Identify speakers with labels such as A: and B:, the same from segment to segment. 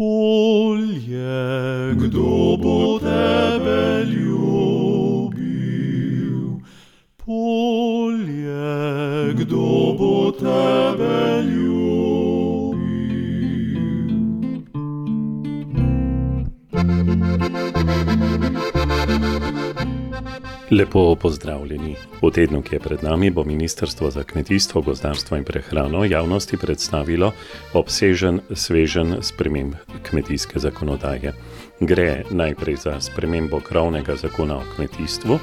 A: Polje, kdo bo tebe ljubil? Polje, kdo bo tebe ljubil?
B: Lepo pozdravljeni. V tednu, ki je pred nami, bo Ministrstvo za kmetijstvo, gozdarstvo in prehrano javnosti predstavilo obsežen, sveženj sprememb kmetijske zakonodaje. Gre najprej za spremembo krovnega zakona o kmetijstvu,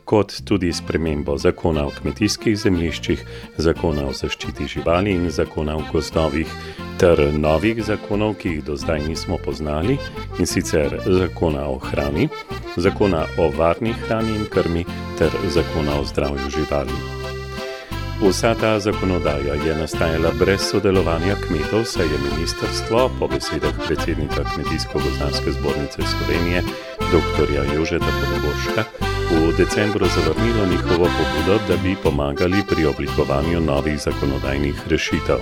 B: kot tudi spremembo zakona o kmetijskih zemljiščih, zakona o zaščiti živali in zakona o gozdovih, ter novih zakonov, ki jih do zdaj nismo poznali, in sicer zakona o hrani, zakona o varni hrani in krmi ter zakona o zdravju živali. Vsa ta zakonodaja je nastajala brez sodelovanja kmetov, saj je ministrstvo, po besedah predsednika Kmetijsko-gozdarske zbornice Slovenije, dr. Jožeta Poneborška, v decembru zavrnilo njihovo pobudo, da bi pomagali pri oblikovanju novih zakonodajnih rešitev.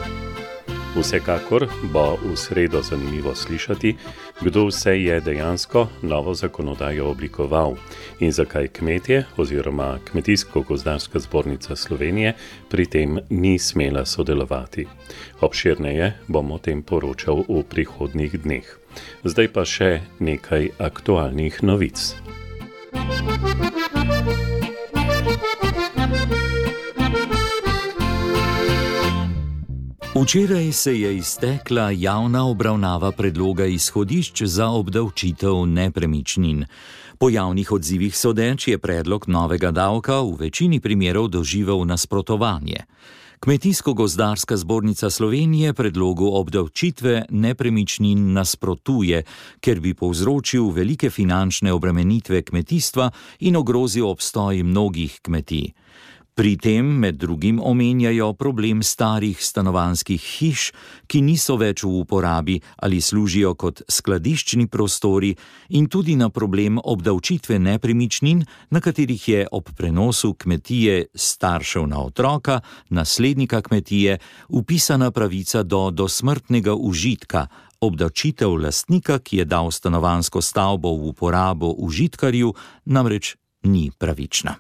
B: Vsekakor bo v sredo zanimivo slišati, kdo vse je dejansko novo zakonodajo oblikoval in zakaj kmetje oziroma Kmetijsko-gozdarska zbornica Slovenije pri tem ni smela sodelovati. Obširneje bom o tem poročal v prihodnjih dneh. Zdaj pa še nekaj aktualnih novic.
C: Včeraj se je iztekla javna obravnava predloga izhodišč za obdavčitev nepremičnin. Po javnih odzivih sodeč je predlog novega davka v večini primerov doživel nasprotovanje. Kmetijsko-gozdarska zbornica Slovenije predlogu obdavčitve nepremičnin nasprotuje, ker bi povzročil velike finančne obremenitve kmetijstva in ogrozil obstoj mnogih kmetij. Pri tem med drugim omenjajo problem starih stanovanjskih hiš, ki niso več v uporabi ali služijo kot skladiščni prostori, in tudi na problem obdavčitve nepremičnin, na katerih je ob prenosu kmetije staršev na otroka, naslednika kmetije, vpisana pravica do dosmrtnega užitka. Obdavčitev lastnika, ki je dal stanovanjsko stavbo v uporabo užitkarju, namreč ni pravična.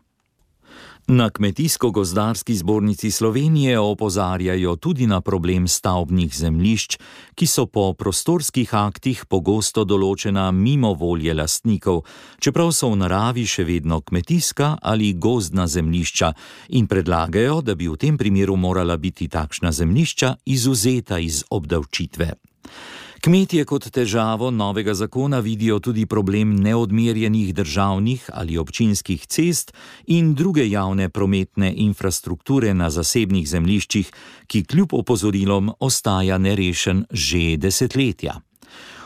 C: Na Kmetijsko-gozdarski zbornici Slovenije opozarjajo tudi na problem stavbnih zemljišč, ki so po prostorskih aktih pogosto določena mimo volje lastnikov, čeprav so v naravi še vedno kmetijska ali gozdna zemljišča, in predlagajo, da bi v tem primeru morala biti takšna zemljišča izvzeta iz obdavčitve. Kmetje kot težavo novega zakona vidijo tudi problem neodmerjenih državnih ali občinskih cest in druge javne prometne infrastrukture na zasebnih zemljiščih, ki kljub opozorilom ostaja nerešen že desetletja.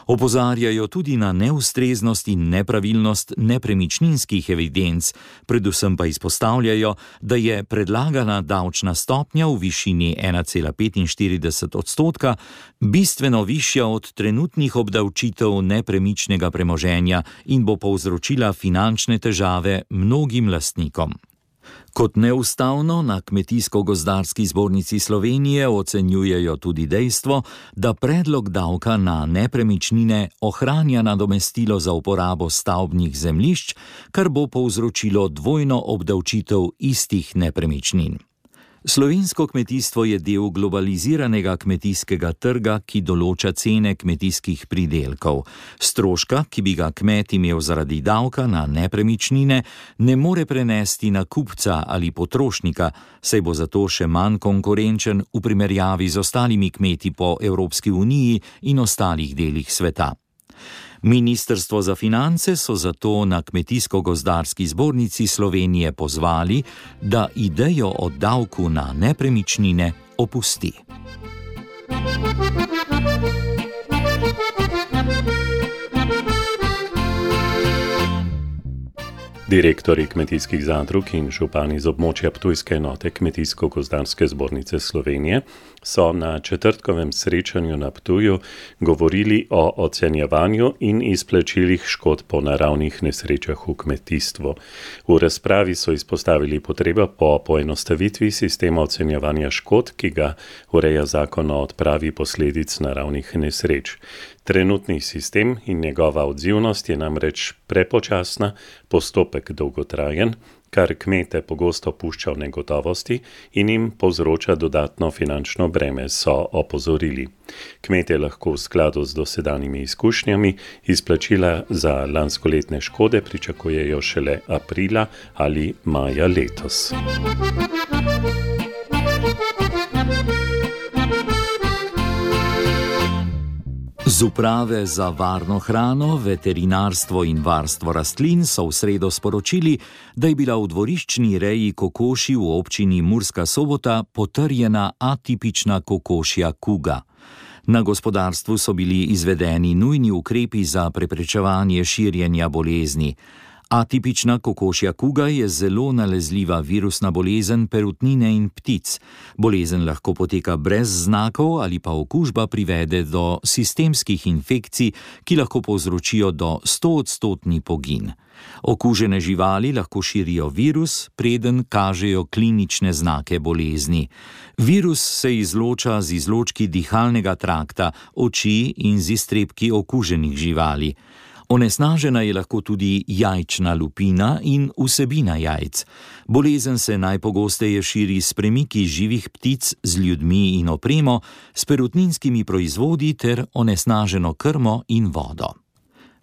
C: Opozarjajo tudi na neustreznost in nepravilnost nepremičninskih evidenc, predvsem pa izpostavljajo, da je predlagana davčna stopnja v višini 1,45% bistveno višja od trenutnih obdavčitev nepremičnega premoženja in bo povzročila finančne težave mnogim lastnikom. Kot neustavno na Kmetijsko-gozdarski zbornici Slovenije ocenjujejo tudi dejstvo, da predlog davka na nepremičnine ohranja nadomestilo za uporabo stavbnih zemljišč, kar bo povzročilo dvojno obdavčitev istih nepremičnin. Slovensko kmetijstvo je del globaliziranega kmetijskega trga, ki določa cene kmetijskih pridelkov. Stroška, ki bi ga kmet imel zaradi davka na nepremičnine, ne more prenesti na kupca ali potrošnika, saj bo zato še manj konkurenčen v primerjavi z ostalimi kmeti po Evropski uniji in ostalih delih sveta. Ministrstvo za finance so zato na Kmetijsko-gozdarski zbornici Slovenije pozvali, da idejo o davku na nepremičnine opusti.
B: Direktorji kmetijskih zadrug in župani z območja ptujske enote Kmetijsko-gozdarske zbornice Slovenije so na četrtkovem srečanju na Ptuju govorili o ocenjevanju in izplačilih škod po naravnih nesrečah v kmetijstvu. V razpravi so izpostavili potrebo po poenostavitvi sistema ocenjevanja škod, ki ga ureja zakon o odpravi posledic naravnih nesreč. Trenutni sistem in njegova odzivnost je namreč prepočasna, postopek dolgotrajen, kar kmete pogosto pušča v negotovosti in jim povzroča dodatno finančno breme, so opozorili. Kmetje lahko v skladu z dosedanjimi izkušnjami izplačila za lanskoletne škode pričakujejo šele aprila ali maja letos.
C: Z uprave za varno hrano, veterinarstvo in varstvo rastlin so v sredo sporočili, da je bila v dvoriščni reji kokoši v občini Murska Sobota potrjena atipična kokošja kuga. Na gospodarstvu so bili izvedeni nujni ukrepi za preprečevanje širjenja bolezni. Atipična kokošja kuga je zelo nalezljiva virusna bolezen perutnine in ptic. Bolezen lahko poteka brez znakov ali pa okužba privede do sistemskih infekcij, ki lahko povzročijo do 100% pogin. Okužene živali lahko širijo virus, preden kažejo klinične znake bolezni. Virus se izloča z izločki dihalnega trakta, oči in z iztrebki okuženih živali. Onesnažena je lahko tudi jajčna lupina in vsebina jajc. Bolezen se najpogosteje širi s premiki živih ptic z ljudmi in opremo, s perutninskimi proizvodi ter onesnaženo krmo in vodo.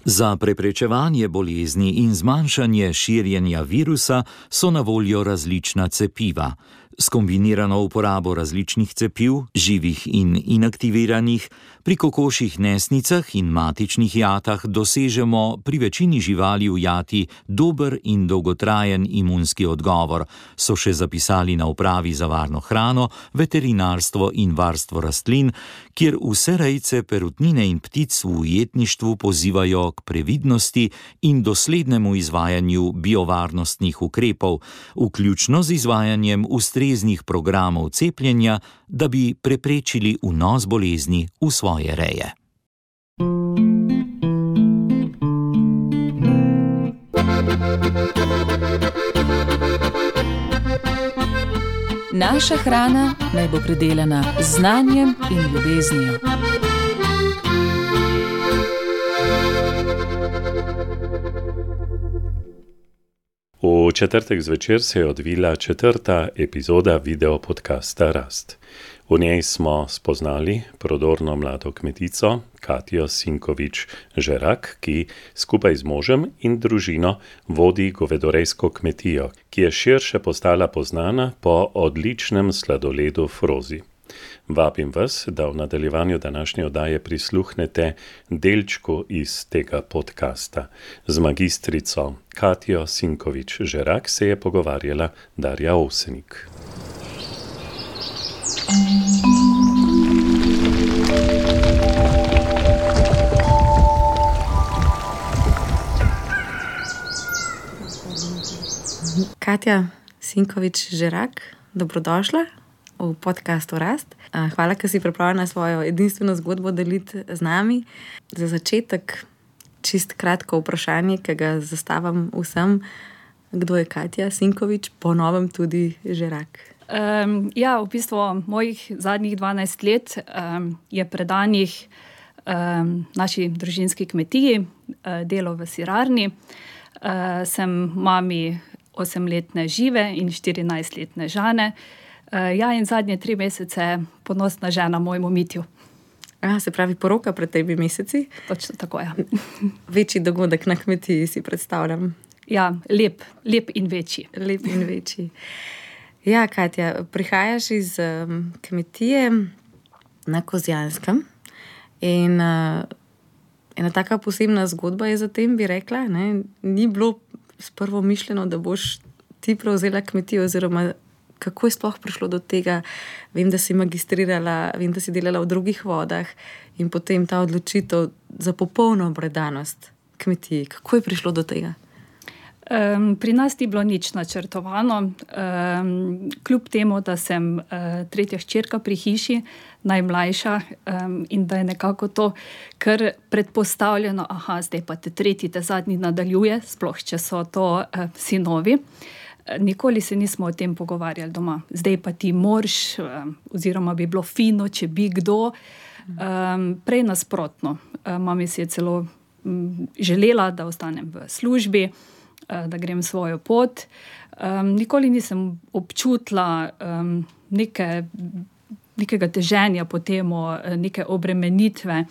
C: Za preprečevanje bolezni in zmanjšanje širjenja virusa so na voljo različna cepiva. S kombinirano uporabo različnih cepiv, živih in inaktiviranih, pri kokošjih nesnicah in matičnih jatah dosežemo pri večini živali v jati dober in dolgotrajen imunski odgovor, so še zapisali na upravi za varno hrano, veterinarstvo in varstvo rastlin, kjer vse rejce perutnine in ptic v ujetništvu pozivajo k previdnosti in doslednemu izvajanju biovarnostnih ukrepov, vključno z izvajanjem ustreznih programov cepljenja, da bi preprečili vnos bolezni v svoje reje.
D: Naša hrana naj bo pridelana z znanjem in ljubeznijo.
B: V četrtek zvečer se je odvila 4. epizoda videopodcasta Rast. V njej smo spoznali prodorno mlado kmetico Katjo Sinkovič-Žerak, ki skupaj z možem in družino vodi govedorejsko kmetijo, ki je širše postala poznana po odličnem sladoledu Frozi. Vabim vas, da v nadaljevanju današnje oddaje prisluhnete delčku iz tega podcasta. Z magistrico Katjo Sinkovič-Žerak se je pogovarjala Darja Ovsenik.
E: Katja Sinkovič-Žerak, dobrodošla v podcastu Rast. Hvala, ker si pripravljena svojo edinstveno zgodbo deliti z nami. Za začetek čist kratko vprašanje, ki ga zastavim vsem. Kdo je Katja Sinkovič, po novem tudi Žerak?
F: V bistvu mojih zadnjih 12 let je predanih naši družinski kmetiji, delo v sirarni. Sem mami 8-letne Žive in 14-letne Žane. In zadnje 3 mesece ponosna žena mojemu Mitju.
E: Se pravi poroka pred 3 meseci?
F: Točno tako, ja.
E: Večji dogodek na kmetiji si predstavljam.
F: Ja, lep in večji.
E: Lep in večji. Ja, Katja, prihajaš iz kmetije na Kozjanskem in ena taka posebna zgodba je za tem, bi rekla, ne? Ni bilo sprvo mišljeno, da boš ti prevzela kmetijo, oziroma kako je sploh prišlo do tega? Vem, da si magistrirala, vem, da si delala v drugih vodah in potem ta odločitev za popolno predanost kmetiji. Kako je prišlo do tega?
F: Pri nas ni bilo nič načrtovano, kljub temu, da sem tretja hčerka pri hiši, najmlajša, in da je nekako to kar predpostavljeno, zdaj pa te tretji, te zadnji nadaljuje, sploh če so to sinovi. Nikoli se nismo o tem pogovarjali doma. Zdaj pa ti moraš, oziroma bi bilo fino, če bi kdo. Prej nasprotno. Mami si je celo želela, da ostanem v službi, da grem svojo pot. Nikoli nisem občutila nekega teženja po temu, neke obremenitve.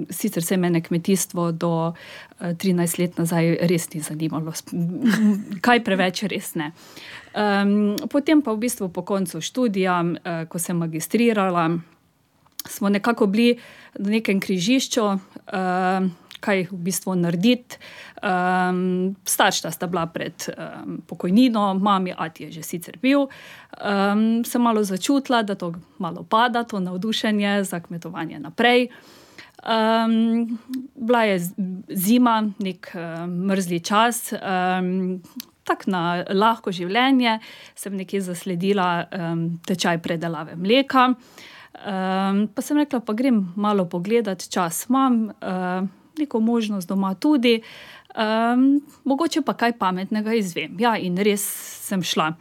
F: Sicer se mene kmetijstvo do 13 let nazaj res ni zanimalo. Kaj preveč res ne. Potem pa v bistvu po koncu študija, ko sem magistrirala, smo nekako bili na nekem križišču, kaj v bistvu narediti. Starša sta bila pred pokojnino, mami, ati je že sicer bil. Sem malo začutila, da to malo pada, to navdušenje za kmetovanje naprej. Bila je zima, nek mrzli čas, tako na lahko življenje. Sem nekje zasledila tečaj predelave mleka. Pa sem rekla, pa grem malo pogledat, čas imam, neko možnost doma tudi, mogoče pa kaj pametnega izvem. Ja, in res sem šla.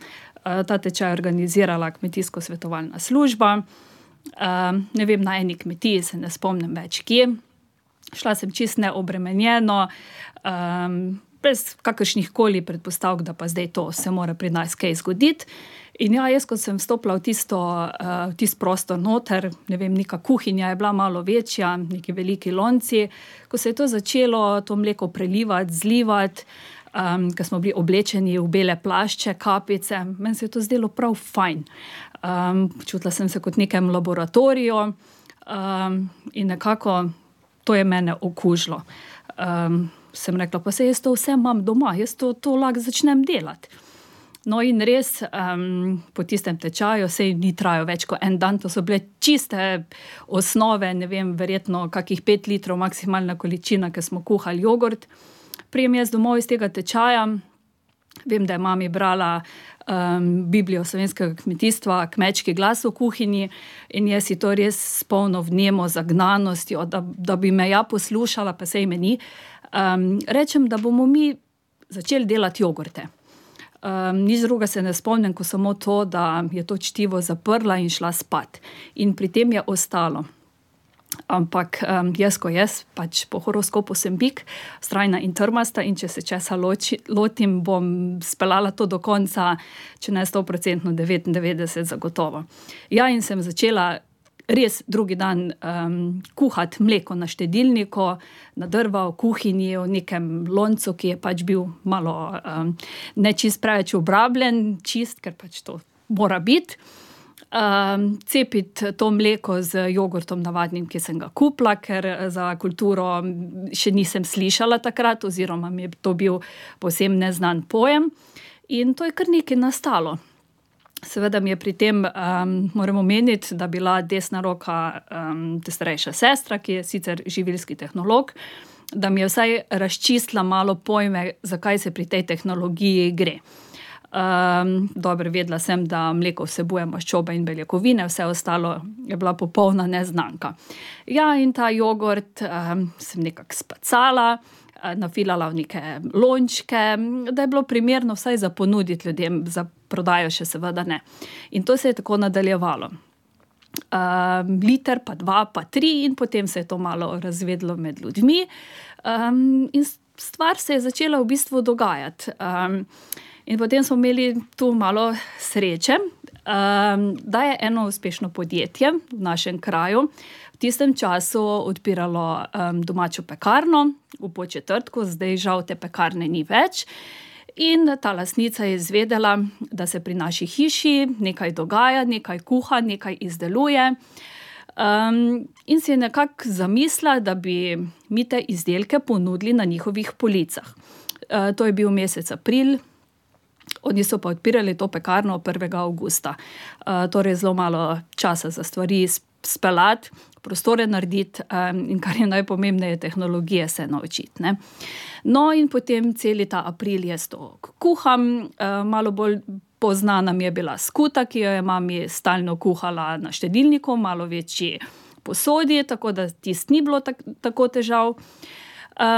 F: Ta tečaj organizirala kmetijsko-svetovalna služba. Ne vem, na eni kmetiji, se ne spomnim več kje. Šla sem čisto neobremenjeno, brez kakršnih koli predpostavk, da pa zdaj to se mora pri nas kaj zgoditi. In ja, jaz, ko sem vstopila v tisti prostor noter, ne vem, neka kuhinja je bila malo večja, neki veliki lonci, ko se je to začelo, to mleko prelivati, zlivati, ko smo bili oblečeni v bele plašče, kapice, meni se je to zdelo prav fajn. Počutila sem se kot nekem laboratoriju, in nekako to je mene okužilo. Sem rekla, pa se jaz to vse imam doma, jaz to lahko začnem delati. No in res, po tistem tečaju, sej ni trajal več kot en dan, to so bile čiste osnove, ne vem, verjetno kakih 5 litrov maksimalna količina, ker smo kuhali jogurt. Prijem jaz domov iz tega tečaja, vem, da je mami brala Biblijo slovenskega kmetijstva, Kmečki glas v kuhinji, in jaz si to res spolno vnemo zagnanostjo, da bi me ja poslušala, pa sej me ni. Rečem, da bomo mi začeli delati jogurte. Nič druga se ne spomnim, ko samo to, da je to čtivo zaprla in šla spat. In pri tem je ostalo. Ampak jaz, pač po horoskopu sem bik, vztrajna in trmasta, in če se česa lotim, bom speljala to do konca, če ne 100%, 99% zagotovo. Ja, in sem začela res drugi dan kuhati mleko na štedilniku, na drva, v kuhinji, v nekem loncu, ki je pač bil malo ne čist preveč obrabljen, čist, ker pač to mora biti. Cepiti to mleko z jogurtom navadnim, ki sem ga kupila, ker za kulturo še nisem slišala takrat, oziroma mi je to bil povsem neznan pojem. In to je kar nekaj nastalo. Seveda mi je pri tem, moram omeniti, da bila desna roka te starejša sestra, ki je sicer živilski tehnolog, da mi je vsaj razčistila malo pojme, zakaj se pri tej tehnologiji gre. Dobro, vedela sem, da mleko vsebuje maščobe in beljakovine, vse ostalo je bila popolna neznanka. Ja, in ta jogurt sem nekako spacala, nafilala v neke lončke, da je bilo primerno vsaj za ponuditi ljudem, za prodajo še seveda ne. In to se je tako nadaljevalo. Liter, pa 2, pa 3, in potem se je to malo razvedlo med ljudmi. In stvar se je začela v bistvu dogajati. In potem smo imeli tu malo sreče, da je eno uspešno podjetje v našem kraju v tistem času odpiralo domačo pekarno v Podčetrtku, zdaj žal te pekarne ni več. In ta lastnica je izvedela, da se pri naši hiši nekaj dogaja, nekaj kuha, nekaj izdeluje. In si je nekako zamislila, da bi mi te izdelke ponudili na njihovih policah. To je bil mesec april, oni so pa odpirali to pekarno 1. avgusta. Torej zelo malo časa za stvari speljati, prostore narediti in kar je najpomembneje, tehnologije se naučiti. Ne. No in potem celi ta april jaz to kuham, malo bolj poznana mi je bila skuta, ki jo je mami stalno kuhala na štedilniku, malo večji posodi, tako da tisto ni bilo tako težav.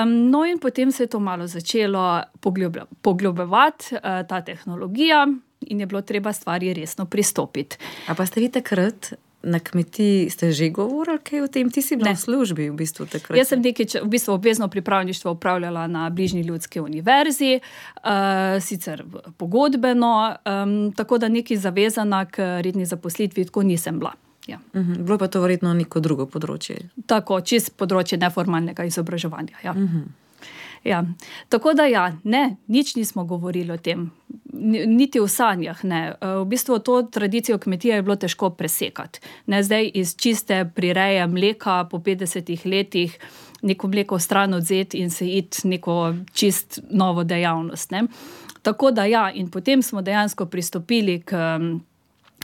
F: No in potem se je to malo začelo poglobljevati, ta tehnologija, in je bilo treba stvari resno pristopiti.
E: A pa ste vi takrat na kmetiji ste že govorili kaj o tem? Ti si bila v službi v bistvu takrat.
F: Jaz sem v bistvu obvezno pripravništvo upravljala na bližnji Ljudski univerzi, sicer pogodbeno, tako da neki zavezana k redni zaposlitvi tako nisem bila. Ja.
E: Bilo pa to verjetno neko drugo področje.
F: Tako, čist področje neformalnega izobraževanja. Ja. Ja. Tako da nič nismo govorili o tem, niti v sanjah ne. V bistvu to tradicijo kmetije je bilo težko presekati. Ne, zdaj iz čiste prireje mleka po 50 letih neko mleko stran odzeti in se iti neko čist novo dejavnost. Ne. Tako da in potem smo dejansko pristopili k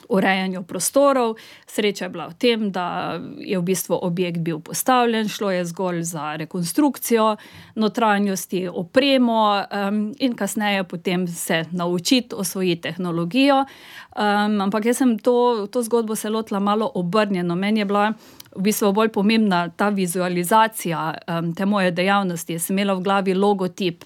F: urejanju prostorov. Sreča je bila v tem, da je v bistvu objekt bil postavljen, šlo je zgolj za rekonstrukcijo notranjosti, opremo in kasneje potem se naučiti, osvojiti tehnologijo. Ampak jaz sem to zgodbo se lotila malo obrnjeno. Meni je bila v bistvu bolj pomembna ta vizualizacija te moje dejavnosti. Jaz sem imela v glavi logotip,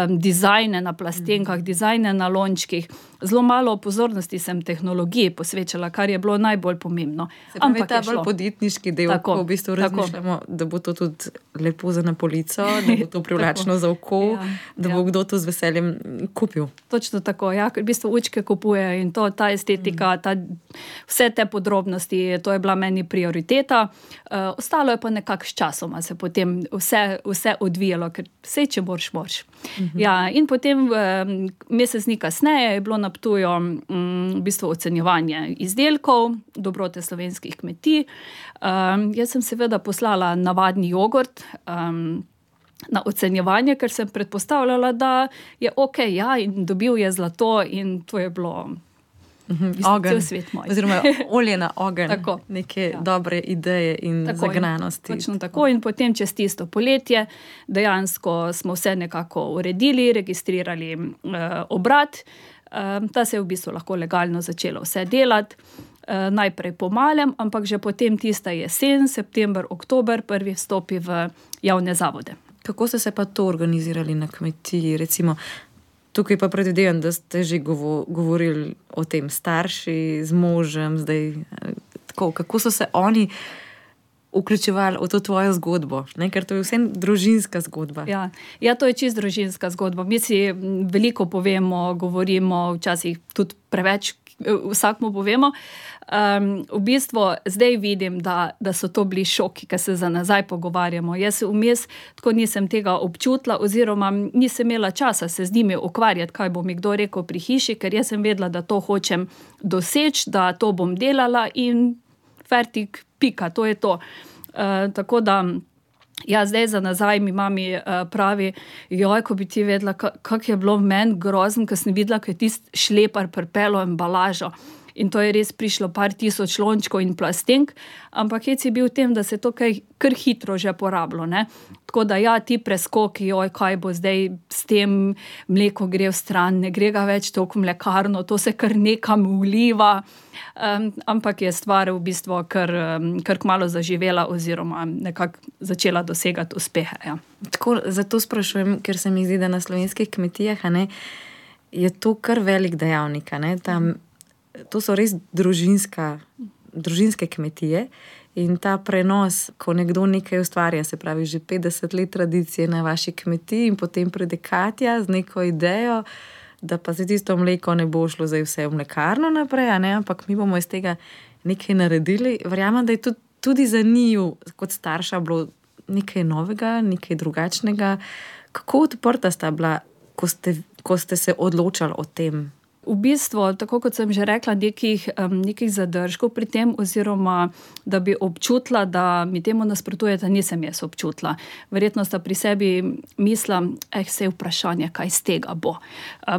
F: dizajne na plastenkah, dizajne na lončkih. Zelo malo pozornosti sem tehnologiji posvečala, kar je bilo najbolj pomembno.
E: Se pravi, ta bolj podjetniški del, ko v bistvu razmišljamo, da bo to tudi lepo za na polico, da bo to privlačno za oko, da bo kdo to z veseljem kupil.
F: Točno tako, v bistvu učke kupujejo in ta estetika, vse te podrobnosti, to je bila meni prioriteta. Ostalo je pa nekako s časoma se potem vse odvijalo, ker vse, če moraš. In potem mesec dni kasneje je bilo na Ptuju v bistvu ocenjevanje izdelkov, dobrote slovenskih kmetij. Jaz sem seveda poslala navadni jogurt na ocenjevanje, ker sem predpostavljala, da je okej, in dobil je zlato in to je bilo
E: ogenj,
F: svet moj.
E: Oziroma olje na ogenj, neke dobre ideje in zagnanosti.
F: Točno tako. In potem čez tisto poletje dejansko smo vse nekako uredili, registrirali obrat. Ta se je v bistvu lahko legalno začelo vse delati. Najprej po malem, ampak že potem tista jesen, september, oktober, prvi vstopi v javne zavode.
E: Kako ste se pa to organizirali na kmetiji? Recimo, tukaj pa predvidevam, da ste že govorili o tem starši z možem, zdaj tako, kako so se oni vključevali v to tvojo zgodbo, ne? Ker to je vsem družinska zgodba.
F: Ja, to je čist družinska zgodba. Mi si veliko povemo, govorimo, včasih tudi preveč vsakmu povemo. V bistvu zdaj vidim, da so to bili šoki, ki se za nazaj pogovarjamo. Jaz vmes tako nisem tega občutila oziroma nisem imela časa se z njimi ukvarjati, kaj bo mi kdo rekel pri hiši, ker jaz sem vedela, da to hočem doseči, da to bom delala in fertik, pika, to je to. Tako da, zdaj za nazaj mi mami pravi, ko bi ti vedela, kako je bilo v meni grozno, ko sem videla, ko je tisti šlepar pripelo embalažo. In to je res prišlo par tisoč lončkov in plastenk, ampak je bil v tem, da se to kar hitro že porabilo. Ne? Tako da ti preskoki, kaj bo zdaj s tem, mleko gre v stran, ne gre ga več toliko v mlekarno, to se kar nekam vliva, ampak je stvar v bistvu kar kmalu zaživela oziroma nekako začela dosegati uspehe. Ja.
E: Tako, zato sprašujem, ker se mi zdi, da na slovenskih kmetijah je to kar velik dejavnik. To so res družinske kmetije in ta prenos, ko nekdo nekaj ustvarja, se pravi že 50 let tradicije na vaši kmetiji in potem pride Katja z neko idejo, da pa se tisto mleko ne bo šlo zdaj vse v mlekarno naprej, ampak mi bomo iz tega nekaj naredili. Verjamem, da je tudi za njiju kot starša bilo nekaj novega, nekaj drugačnega. Kako odprta sta bila, ko ste se odločali o tem?
F: V bistvu, tako kot sem že rekla, nekih zadržkov pri tem, oziroma da bi občutila, da mi temu nasprotujete, nisem jaz občutila. Verjetno sta pri sebi mislila, vse vprašanje, kaj z tega bo.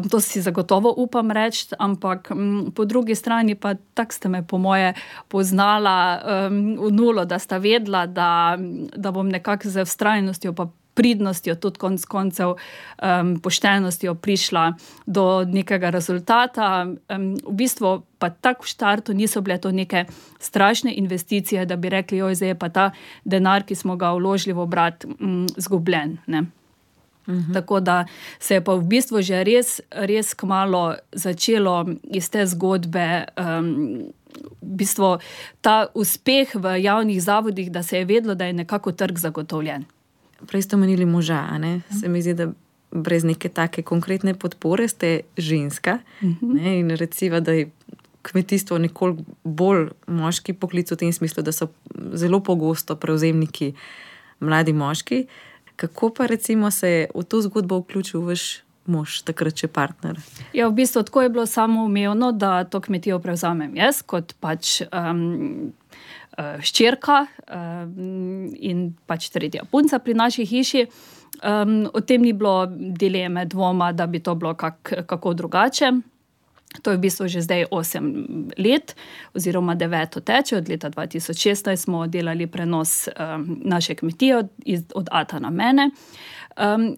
F: To si zagotovo upam reči, ampak po drugi strani pa tak ste me po moje poznala v nulo, da sta vedela, da bom nekako z vztrajnostjo pa pridnostjo, tudi konec koncev poštenostjo prišla do nekega rezultata. V bistvu pa tako v štartu niso bile to neke strašne investicije, da bi rekli, zdaj je pa ta denar, ki smo ga vložili v obrat, zgubljen, ne. Tako da se je pa v bistvu že res kmalu začelo iz te zgodbe v bistvu ta uspeh v javnih zavodih, da se je vedelo, da je nekako trg zagotovljen.
E: Prej ste omenili moža, ne? Se mi zdi, da brez neke take konkretne podpore ste ženska, ne? In recimo, da je kmetijstvo nekoliko bolj moški poklic v tem smislu, da so zelo pogosto prevzemniki mladi moški. Kako pa recimo se je v to zgodbo vključil vaš mož, takrat še partner?
F: Ja, v bistvu tako je bilo samoumevno, da to kmetijo prevzamem jaz, kot pač hčerka in pač tretja punca pri naši hiši. O tem ni bilo dileme, dvoma, da bi to bilo kako drugače. To je v bistvu že zdaj 8 let, oziroma 9 teče. Od leta 2016 smo delali prenos naše kmetije od ata na mene.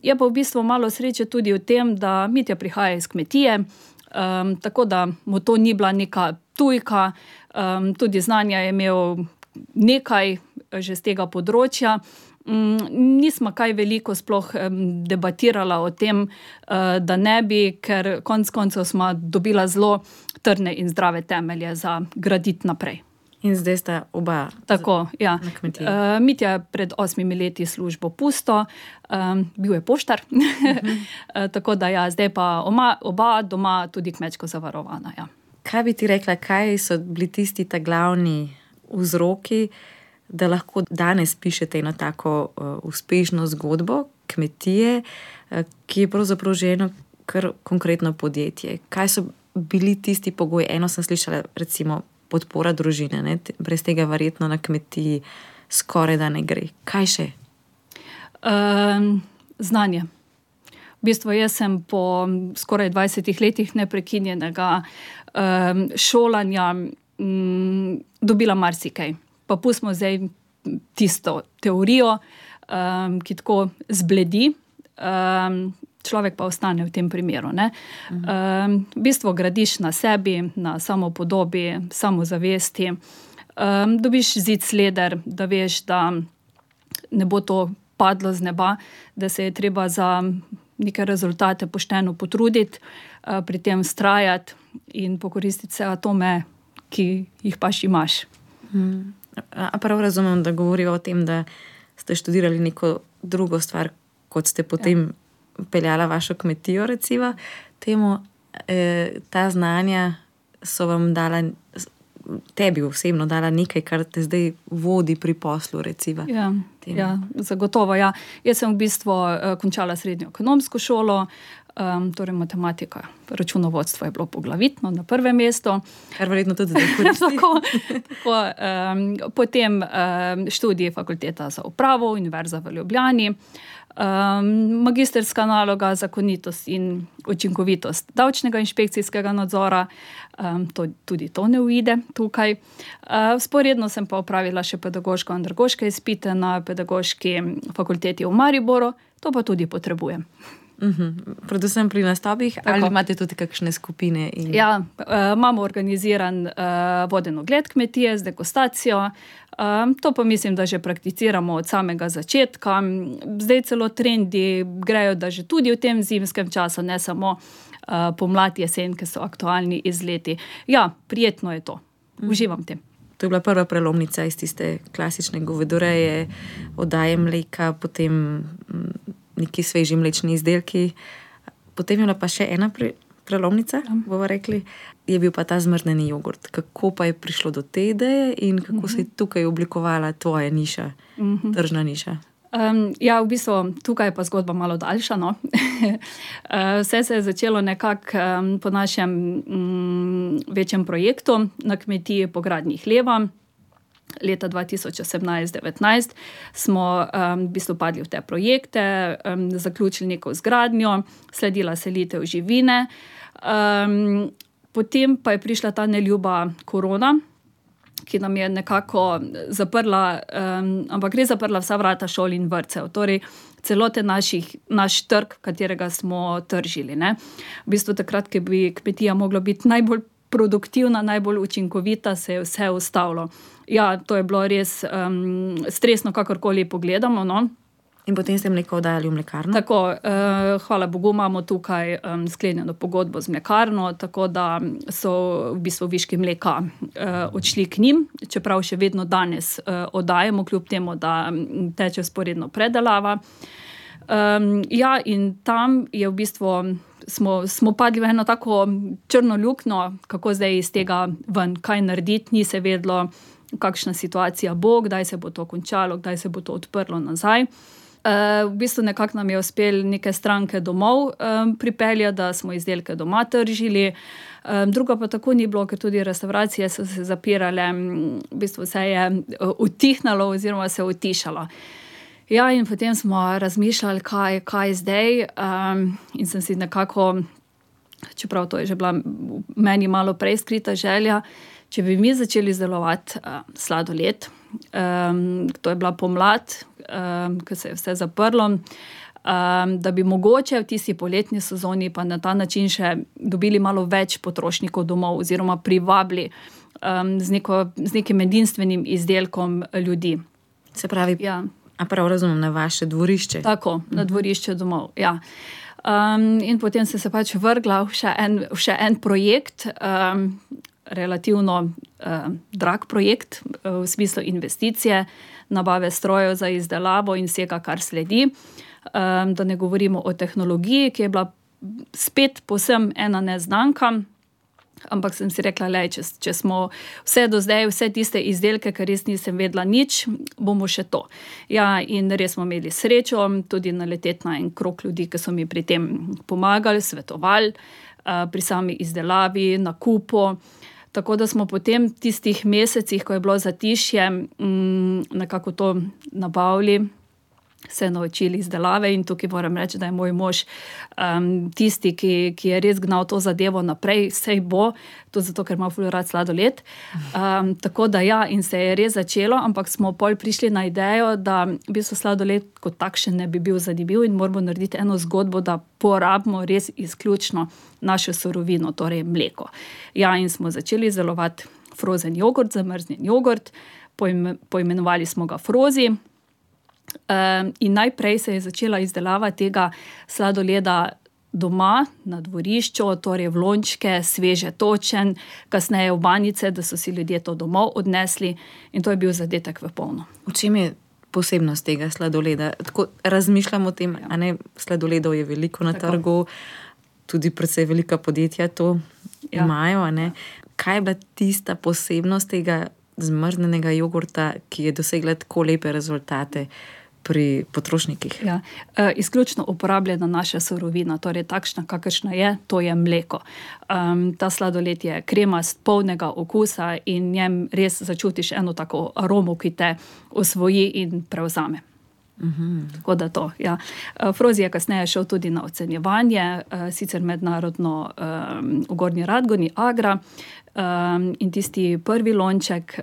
F: Je pa v bistvu malo sreče tudi v tem, da Mitja prihaja iz kmetije, tako da mu to ni bila neka tujka, tudi znanja je imel nekaj že z tega področja. Nismo kaj veliko sploh debatirala o tem, da ne bi, ker konec koncev smo dobila zelo trdne in zdrave temelje za graditi naprej.
E: In zdaj sta oba
F: tako, ja.
E: Na kmetiji.
F: Mitja je pred 8 leti službo pusto, bil je poštar, tako da ja, zdaj pa oba doma tudi kmečko zavarovana. Ja.
E: Kaj bi ti rekla, kaj so bili tisti ta glavni vzroki, da lahko danes pišete eno tako uspešno zgodbo kmetije, ki je pravzaprav že eno kar konkretno podjetje? Kaj so bili tisti pogoji? Eno sem slišala, recimo, podpora družine, ne? Brez tega verjetno na kmetiji skoraj da ne gre. Kaj še?
F: Znanje. V bistvu jaz sem po skoraj 20 letih neprekinjenega šolanja dobila marsikaj. Pa pustimo zdaj tisto teorijo, ki tako zbledi, človek pa ostane v tem primeru, ne. V bistvu gradiš na sebi, na samopodobi, samozavesti, dobiš zid sleder, da veš, da ne bo to padlo z neba, da se je treba za neke rezultate pošteno potruditi, pri tem vztrajati in pokoristiti se atome, ki jih pač imaš.
E: A prav razumem, da govorijo o tem, da ste študirali neko drugo stvar, kot ste potem peljala vašo kmetijo, recimo. Temu, ta znanja so vam dala, tebi osebno dala nekaj, kar te zdaj vodi pri poslu, recimo.
F: Ja, zagotovo, ja. Jaz sem v bistvu končala srednjo ekonomsko šolo, torej matematika, računovodstvo je bilo poglavitno na prvem mestu.
E: Kar verjetno tudi zdaj koristi.
F: Potem študij fakulteta za upravo, Univerza v Ljubljani, magistrska naloga zakonitost in učinkovitost davčnega inšpekcijskega nadzora, tudi to ne uide tukaj. Vzporedno sem pa opravila še pedagoško-andragoške izpite na pedagoški fakulteti v Mariboru, to pa tudi potrebujem.
E: Predvsem pri nastopih, ali imate tudi kakšne skupine?
F: Ja, imamo organiziran voden ogled kmetije z degustacijo, to pa mislim, da že prakticiramo od samega začetka. Zdaj celo trendi grejo, da že tudi v tem zimskem času, ne samo pomlad, jesen, ki so aktualni izleti. Ja, prijetno je to. Uživam tem.
E: To je bila prva prelomnica iz tiste klasične govedoreje, oddaje mleka, potem neki sveži mlečni izdelki. Potem je bila pa še ena prelomnica, bomo rekli, je bil pa ta zmrznjeni jogurt. Kako pa je prišlo do te ideje in kako se je tukaj oblikovala tvoja niša, tržna niša?
F: Ja, v bistvu tukaj je pa zgodba malo daljša. No? Vse se je začelo nekako po našem večjem projektu na kmetiji po gradnji hleva. Leta 2018-19 smo v bistvu padli v te projekte, zaključili neko zgradnjo, sledila selitev živine. Potem pa je prišla ta neljuba korona, ki nam je nekako zaprla, ampak res zaprla vsa vrata šol in vrtcev. Torej, celoten naš trg, katerega smo tržili. Ne? V bistvu takrat, ki bi kmetija mogla biti najbolj produktivna, najbolj učinkovita, se je vse ustavilo. Ja, to je bilo res stresno, kakorkoli pogledamo, no.
E: In potem ste mleko oddajali v mlekarno?
F: Tako, hvala Bogu, imamo tukaj sklenjeno pogodbo z mlekarno, tako da so v bistvu viški mleka odšli k njim, čeprav še vedno danes oddajamo, kljub temu, da teče vzporedno predelava. Ja, in tam je v bistvu smo padli v eno tako črno luknjo, kako zdaj iz tega ven, kaj narediti, ni se vedlo, kakšna situacija bo, kdaj se bo to končalo, kdaj se bo to odprlo nazaj. V bistvu nekako nam je uspelo neke stranke domov pripeljati, da smo izdelke doma tržili. Druga pa tako ni bilo, ker tudi restauracije so se zapirale, v bistvu se je utihnalo oziroma se utišalo. Ja, in potem smo razmišljali, kaj zdaj, in sem si nekako, čeprav to je že bila meni malo prej skrita želja, če bi mi začeli izdelovati sladoled, to je bila pomlad, ko se je vse zaprlo, da bi mogoče v tisti poletni sezoni pa na ta način še dobili malo več potrošnikov domov oziroma privabili z nekim edinstvenim izdelkom ljudi.
E: Se pravi,
F: ja.
E: A prav razumem, na vaše dvorišče?
F: Tako, na dvorišče domov, ja. In potem sem se pač vrgla v še en projekt, relativno drag projekt, v smislu investicije, nabave strojev za izdelavo in vsega, kar sledi. Da ne govorimo o tehnologiji, ki je bila spet povsem ena neznanka, ampak sem si rekla, če smo vse do zdaj, vse tiste izdelke, ker res nisem vedela nič, bomo še to. Ja, in res smo imeli srečo, tudi naleteti na en krog ljudi, ki so mi pri tem pomagali, svetovali, pri sami izdelavi, nakupu. Tako da smo potem v tistih mesecih, ko je bilo zatišje, nekako to nabavili, se naučili izdelave in tukaj moram reči, da je moj mož tisti, ki je res gnal to zadevo naprej, sej bo, tudi zato, ker ima ful rad sladoled. Tako da ja, in se je res začelo, ampak smo pol prišli na idejo, da v bistvu sladoled kot takšen ne bi bil zanimiv in moramo narediti eno zgodbo, da porabimo res izključno našo surovino, torej mleko. Ja, in smo začeli izdelovati frozen jogurt, zamrznjen jogurt, poimenovali smo ga Frozi. In najprej se je začela izdelava tega sladoleda doma, na dvorišču, torej v lončke, sveže točen, kasneje v banice, da so si ljudje to domov odnesli in to je bil zadetek v polno.
E: V čem je posebnost tega sladoleda? Tako razmišljam o tem, a ne, sladoledov je veliko na trgu, tudi precej velika podjetja to imajo, a ne. Kaj je bila tista posebnost tega zmrznjenega jogurta, ki je dosegla tako lepe rezultate pri potrošnikih?
F: Ja, izključno uporabljena naša surovina, torej takšna, kakršna je, to je mleko. Ta sladoled je kremast, polnega okusa in njem res začutiš eno tako aromo, ki te osvoji in prevzame. Tako da to, ja. Frozi je kasneje šel tudi na ocenjevanje, sicer mednarodno v Gornji Radgoni, Agra, in tisti prvi lonček,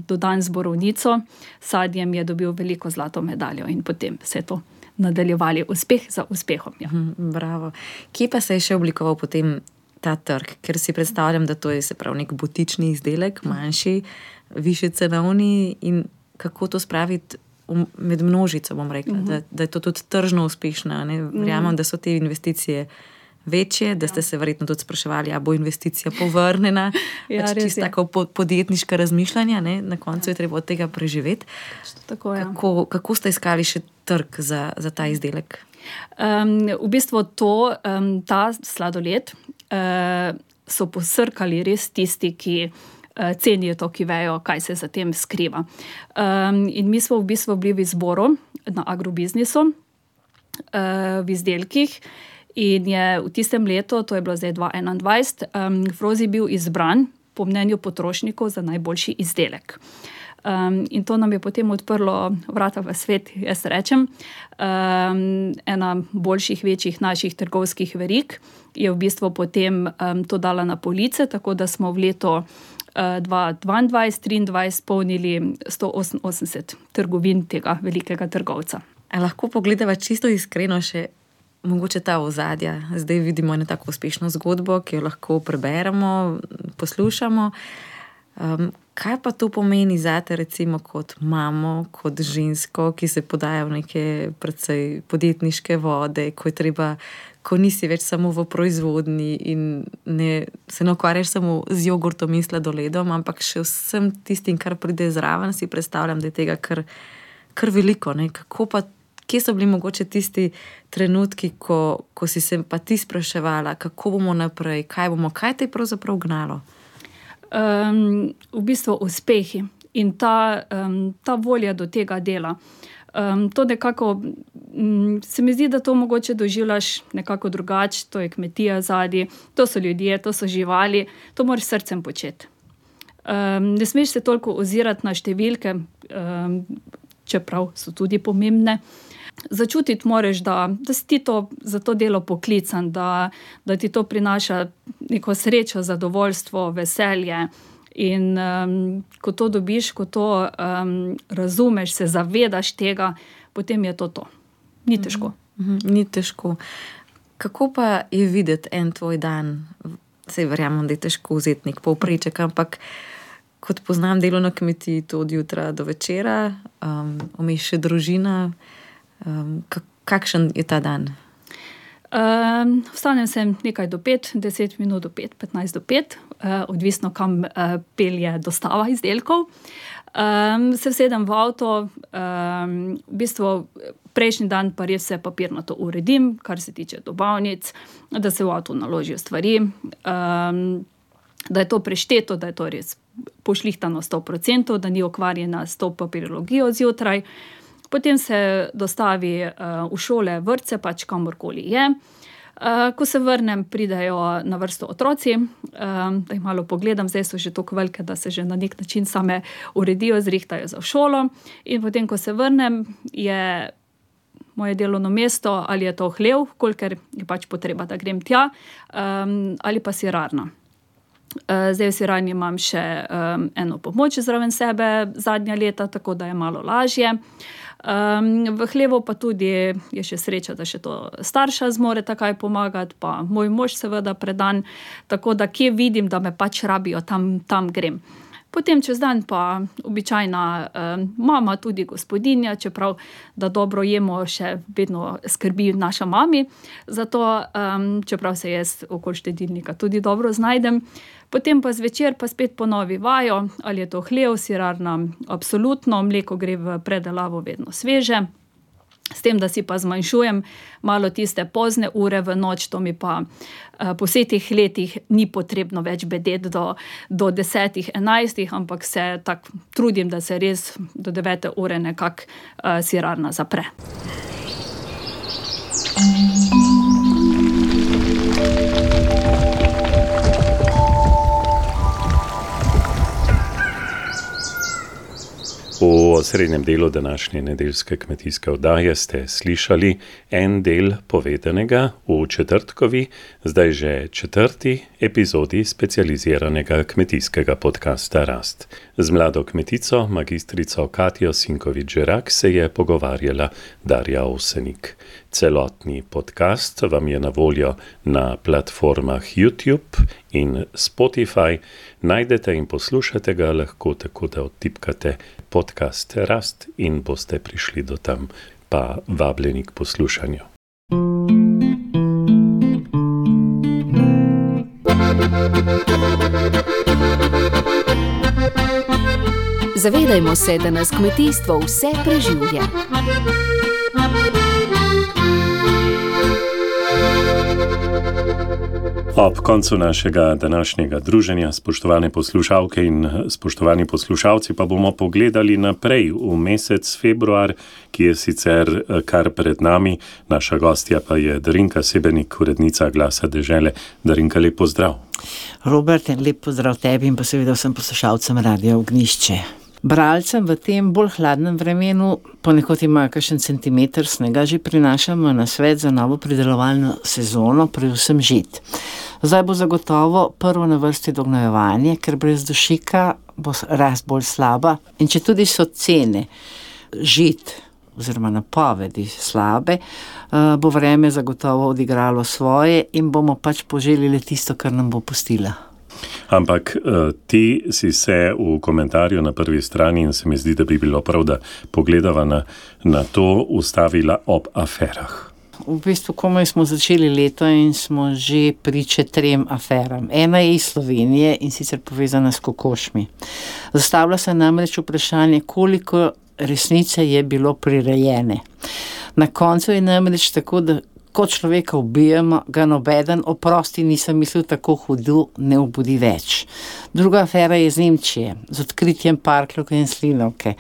F: dodan z borovnico, sadjem je dobil veliko zlato medaljo in potem se je to nadaljevali uspeh za uspehom. Ja.
E: Bravo. Kje pa se je še oblikoval potem ta trg? Ker si predstavljam, da to je se pravi nek butični izdelek, manjši, višje cenovni in kako to spraviti med množico, bom rekla, da je to tudi tržno uspešno. Verjamem, da so te investicije večje, da ste se verjetno tudi spraševali, a bo investicija povrnjena, čisto tako podjetniška razmišljanja, ne? Na koncu je treba od tega preživeti.
F: Tako je.
E: Kako ste iskali še trg za ta izdelek?
F: V bistvu ta sladoled so posrkali res tisti, ki cenijo to, ki vejo, kaj se za tem skriva. In mi smo v bistvu bili v izboru na agrobiznisu, v izdelkih, in je v tistem letu, to je bilo zdaj 2021, Frozi bil izbran po mnenju potrošnikov za najboljši izdelek. In to nam je potem odprlo vrata v svet, jaz rečem. Ena boljših, večjih naših trgovskih verig je v bistvu potem to dala na police, tako da smo v letu 2022-2023 polnili 188 trgovin tega velikega trgovca.
E: A lahko pogledava čisto iskreno še mogoče ta ozadja? Zdaj vidimo eno tako uspešno zgodbo, ki jo lahko preberemo, poslušamo. Kaj pa to pomeni zate, recimo kot mamo, kot žensko, ki se podaja v neke precej podjetniške vode, ko nisi več samo v proizvodnji in se ne ukvarjaš samo z jogurtom in sladoledom, ampak še vsem tistim, kar pride zraven, si predstavljam, da je tega kar veliko, ne? Kje so bili mogoče tisti trenutki, ko si se pa ti spraševala, kako bomo naprej, kaj te je pravzaprav gnalo?
F: V bistvu uspehi in ta volja do tega dela. To nekako, se mi zdi, da to mogoče doživljaš nekako drugače, to je kmetija zadaj, to so ljudje, to so živali, to moraš srcem početi. Ne smeš se toliko ozirati na številke, čeprav so tudi pomembne. Začutiti moraš, da si ti za to delo poklican, da ti to prinaša neko srečo, zadovoljstvo, veselje. In ko to dobiš, ko to razumeš, se zavedaš tega, potem je to. Ni težko.
E: Ni težko. Kako pa je videti en tvoj dan? Saj verjamem, da je težko vzeti nek povpreček, ampak kot poznam delo na kmetiji, to od jutra do večera, vmes še družina. Kakšen je ta dan?
F: Vstanem se nekaj do 5, 10 minut do 5, 15 do 5, odvisno kam pelje dostava izdelkov. Se vsedem v avto, v bistvu prejšnji dan pa res vse papirnato uredim, kar se tiče dobavnic, da se v avto naložijo stvari, da je to prešteto, da je to res pošlihtano 100%, da ni okvarjena s to papirologijo zjutraj. Potem se dostavi v šole, vrtce, pač kamorkoli je. Ko se vrnem, pridejo na vrsto otroci, da jih malo pogledam, zdaj so že toliko velike, da se že na nek način same uredijo, zrihtajo za šolo. In potem, ko se vrnem, je moje delovno mesto, ali je to hlev, kolikor je pač potreba, da grem tja, ali pa sirarna. Zdaj v sirarni imam še eno pomoč zraven sebe zadnja leta, tako da je malo lažje. V hlevu pa tudi je še sreča, da še to starša zmore takaj pomagati, pa moj mož seveda predan, tako da kje vidim, da me pač rabijo, tam grem. Potem čez dan pa običajna mama, tudi gospodinja, čeprav da dobro jemo, še vedno skrbi naša mami, zato čeprav se jaz okoli štedilnika tudi dobro znajdem. Potem pa zvečer pa spet ponovi vajo, ali je to hlev, sirarna, absolutno, mleko gre v predelavo vedno sveže. S tem, da si pa zmanjšujem malo tiste pozne ure v noč, to mi pa po vseh teh letih ni potrebno več bedeti do 10, 11, ampak se tako trudim, da se res do 9 ure nekako sirarna zapre.
B: V osrednjem delu današnje nedeljske kmetijske oddaje ste slišali en del povedanega v četrtkovi, zdaj že 4. epizodi specializiranega kmetijskega podcasta Rast. Z mlado kmetico, magistrico Katjo Sinkovič-Žerak, se je pogovarjala Darja Ovsenik. Celotni podcast vam je na voljo na platformah YouTube in Spotify. Najdete in poslušate ga lahko tako, da odtipkate podcast Rast in boste prišli do tam, pa vabljeni k poslušanju.
D: Zavedajmo se, da nas kmetijstvo vse preživlja.
B: Ob koncu našega današnjega druženja, spoštovane poslušalke in spoštovani poslušalci, pa bomo pogledali naprej v mesec februar, ki je sicer kar pred nami. Naša gostja pa je Darinka Sebenik, urednica Glasa dežele. Darinka, lep pozdrav.
G: Robert, lep pozdrav tebi in pa seveda vsem poslušalcem Radia Ognjišče. Bralcem v tem bolj hladnem vremenu, ponekod imajo kakšen centimeter snega, že prinašamo na svet za novo pridelovalno sezono, predvsem žit. Zdaj bo zagotovo prvo na vrsti dognojevanje, ker brez dušika bo rast bolj slaba. In če tudi so cene žit oziroma napovedi slabe, bo vreme zagotovo odigralo svoje in bomo pač poželili tisto, kar nam bo pustila.
B: Ampak ti si se v komentarju na prvi strani, in se mi zdi, da bi bilo prav, da pogledava na to, ustavila ob aferah.
G: V bistvu komaj smo začeli leto in smo že priče 3 aferam. Ena je iz Slovenije in sicer povezana s kokošmi. Zastavlja se namreč vprašanje, koliko resnice je bilo prirejene. Na koncu je namreč tako, da ko človeka ubijemo, ga nobeden, oprosti, nisem mislil tako hudo, ne obudi več. Druga afera je iz Nemčije, z odkritjem parklovke in slinavke.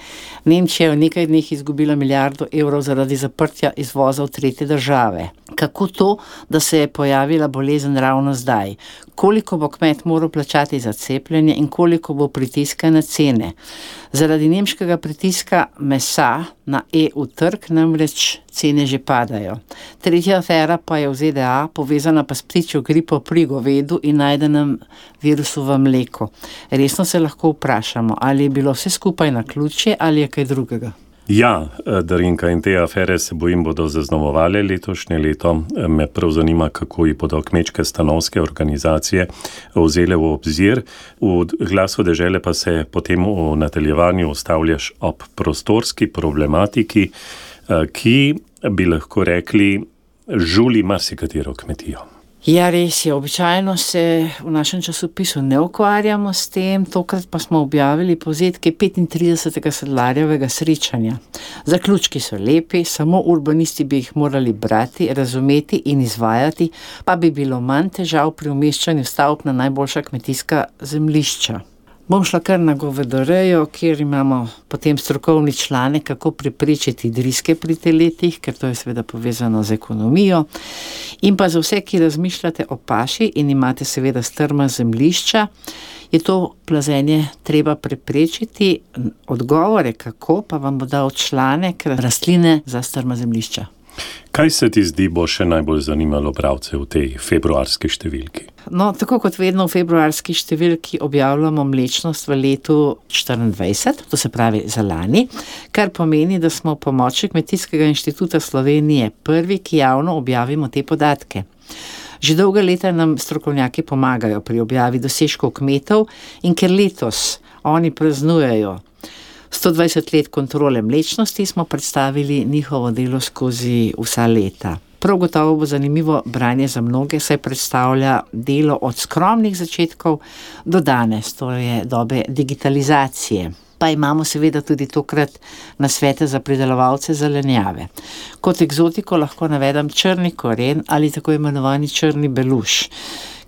G: Nemčija je v nekaj dneh izgubila $1 milijardo zaradi zaprtja izvoza v tretje države. Kako to, da se je pojavila bolezen ravno zdaj? Koliko bo kmet moral plačati za cepljenje in koliko bo pritiska na cene? Zaradi nemškega pritiska mesa na EU trg namreč cene že padajo. Tretja afera pa je v ZDA, povezana pa s ptičjo gripo pri govedu in najdenem virusu v mleku. Resno se lahko vprašamo, ali je bilo vse skupaj naključje ali je kaj drugega.
B: Ja, Darinka, in te afere se bojim bodo zaznamovale letošnje leto. Me prav zanima, kako jih bodo kmečke stanovske organizacije vzele v obzir. V Glasu dežele pa se potem v nadaljevanju ustavljaš ob prostorski problematiki, ki bi lahko rekli žuli marsikatero kmetijo.
G: Ja, res je. Običajno se v našem časopisu ne ukvarjamo s tem, tokrat pa smo objavili povzetke 35. sedlarjevega srečanja. Zaključki so lepi, samo urbanisti bi jih morali brati, razumeti in izvajati, pa bi bilo manj težav pri umeščanju stavb na najboljša kmetijska zemljišča. Bom šla kar na govedorejo, kjer imamo potem strokovni članek, kako preprečiti driske pri teletih, ker to je seveda povezano z ekonomijo. In pa za vse, ki razmišljate o paši in imate seveda strma zemljišča, je to plazenje treba preprečiti. Odgovore kako pa vam bo dal članek rastline za strma zemljišča.
B: Kaj se ti zdi bo še najbolj zanimalo bralce v tej februarski številki?
G: No, tako kot vedno v februarski številki objavljamo mlečnost v letu 2024, to se pravi za lani, kar pomeni, da smo v pomoči Kmetijskega inštituta Slovenije prvi, ki javno objavimo te podatke. Že dolga leta nam strokovnjaki pomagajo pri objavi dosežkov kmetov in ker letos oni praznujejo 120 let kontrole mlečnosti, smo predstavili njihovo delo skozi vsa leta. Prav gotovo bo zanimivo branje za mnoge, saj predstavlja delo od skromnih začetkov do danes, to je dobe digitalizacije. Pa imamo seveda tudi tokrat nasvete za pridelovalce zelenjave. Kot egzotiko lahko navedem črni koren ali tako imenovani črni beluš,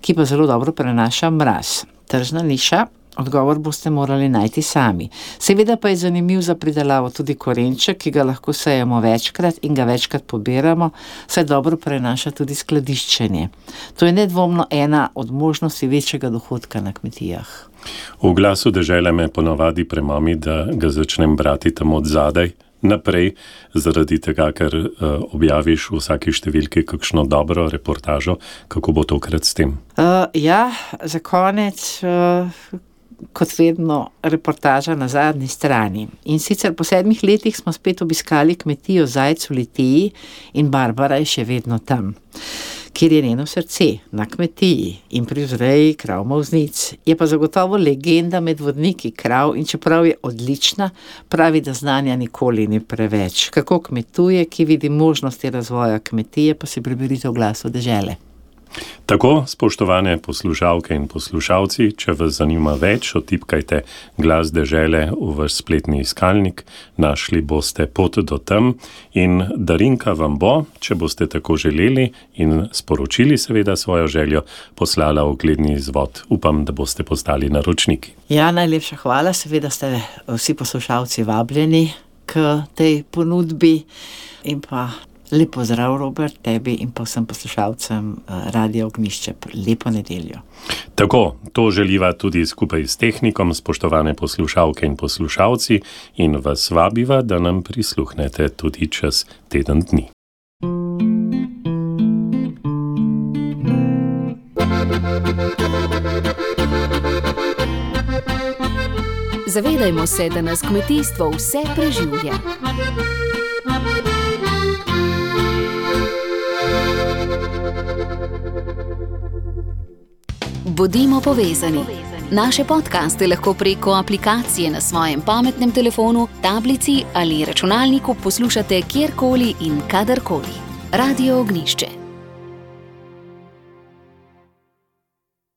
G: ki pa zelo dobro prenaša mraz. Tržna niša. Odgovor boste morali najti sami. Seveda pa je zanimiv za pridelavo tudi korenček, ki ga lahko sejemo večkrat in ga večkrat pobiramo, saj dobro prenaša tudi skladiščenje. To je nedvomno ena od možnosti večjega dohodka na kmetijah.
B: V Glasu dežele me ponavadi premami, da ga začnem brati tam od zadaj naprej, zaradi tega, ker objaviš v vsaki številki kakšno dobro reportažo. Kako bo tokrat s tem?
G: Ja, za konec kot vedno reportaža na zadnji strani. In sicer po 7 letih smo spet obiskali kmetijo Zajc v Litiji in Barbara je še vedno tam, kjer je njeno srce, na kmetiji in pri vzreji krav molznic. Je pa zagotovo legenda med vodniki krav in čeprav je odlična, pravi, da znanja nikoli ni preveč. Kako kmetuje, ki vidi možnosti razvoja kmetije, pa si preberite v Glasu dežele.
B: Tako, spoštovane poslušalke in poslušalci, če vas zanima več, otipkajte Glas dežele v vaš spletni iskalnik, našli boste pot do tam in darinka vam bo, če boste tako želeli in sporočili seveda svojo željo, poslala ogledni izvod. Upam, da boste postali naročniki.
G: Ja, najlepša hvala, seveda ste vsi poslušalci vabljeni k tej ponudbi in pa lep pozdrav, Robert, tebi in pa vsem poslušalcem Radia Ognjišče. Lepo nedeljo.
B: Tako, to želiva tudi skupaj s tehnikom, spoštovane poslušalke in poslušalci, in vas vabiva, da nam prisluhnete tudi čez teden dni.
D: Zavedajmo se, da nas kmetijstvo vse preživlja. Bodimo povezani. Naše podcaste lahko preko aplikacije na svojem pametnem telefonu, tablici ali računalniku poslušate kjerkoli in kadarkoli. Radio Ognjišče.